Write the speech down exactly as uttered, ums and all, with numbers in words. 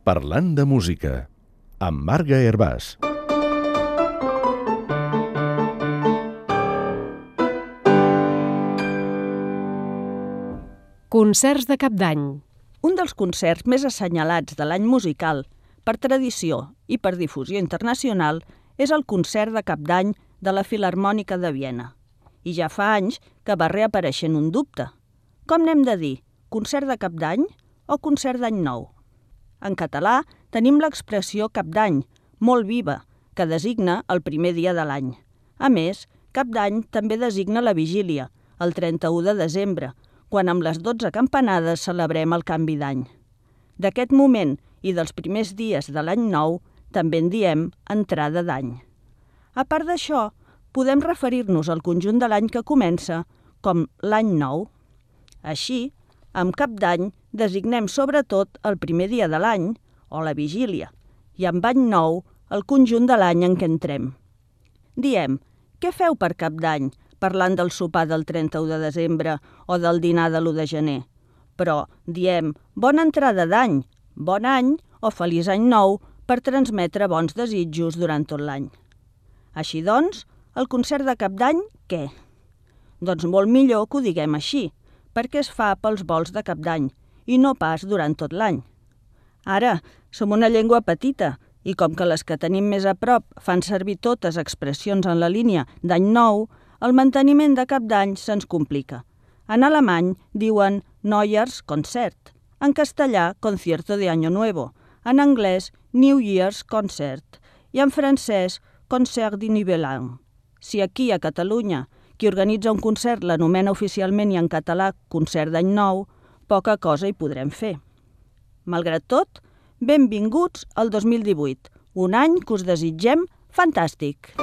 Parlant de música, amb Marga Hervàs. Concerts de Cap d'Any. Un dels concerts més assenyalats de l'any musical, per tradició i per difusió internacional, és el Concert de Cap d'Any de la Filharmònica de Viena. I ja fa anys que va reapareixent un dubte. Com n'hem de dir? Concert de Cap d'Any o Concert d'Any Nou? En català tenim l'expressió Cap d'Any, molt viva, que designa el primer dia de l'any. A més, Cap d'Any també designa la vigília, el trenta-u de desembre, quan amb les dotze campanades celebrem el canvi d'any. D'aquest moment i dels primers dies de l'any nou també en diem entrada d'any. A part d'això, podem referir-nos al conjunt de l'any que comença com l'any nou. Així, amb Cap d'Any designem sobretot el primer dia de l'any, o la vigília, i amb any nou el conjunt de l'any en què entrem. Diem, què feu per Cap d'Any, parlant del sopar del trenta-u de desembre o del dinar de l'u de gener? Però diem bona entrada d'any, bon any o feliç any nou per transmetre bons desitjos durant tot l'any. Així doncs, el concert de Cap d'Any, què? Doncs molt millor que ho diguem així, perquè es fa pels volts de Cap d'Any i no pas durant tot l'any. Ara, som una llengua petita i com que les que tenim més a prop fan servir totes expressions en la línia d'any nou, el manteniment de Cap d'Any se'ns complica. En alemany diuen Neujahrskonzert, en castellà Concierto de Año Nuevo, en anglès New Year's Concert i en francès Concert de Nouvel An. Si aquí a Catalunya qui organitza un concert l'anomena oficialment i en català Concert d'Any Nou, poca cosa hi podrem fer. Malgrat tot, benvinguts al dos mil divuit, un any que us desitgem fantàstic!